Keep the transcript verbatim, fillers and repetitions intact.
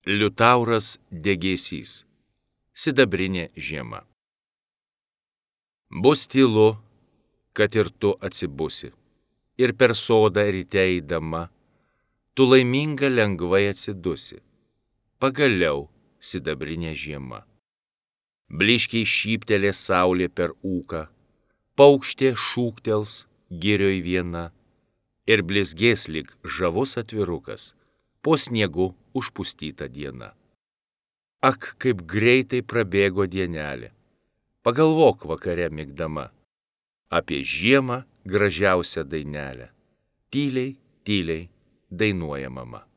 Liutauras degėsys. Sidabrinė žiema. Bus tylu, kad ir tu atsibusi, ir per sodą ryte eidama, tu laiminga lengvai atsidusi. Pagaliau sidabrinė žiema. Bliškiai šyptelė saulė per ūką, paukštė šūktels girioj viena, ir blizgės lyg žavus atvirukas, po sniegu užpustyta diena. Ak, kaip greitai prabėgo dienelė, pagalvok vakare migdama, apie žiemą gražiausią dainelę, tyliai, tyliai dainuoja mama.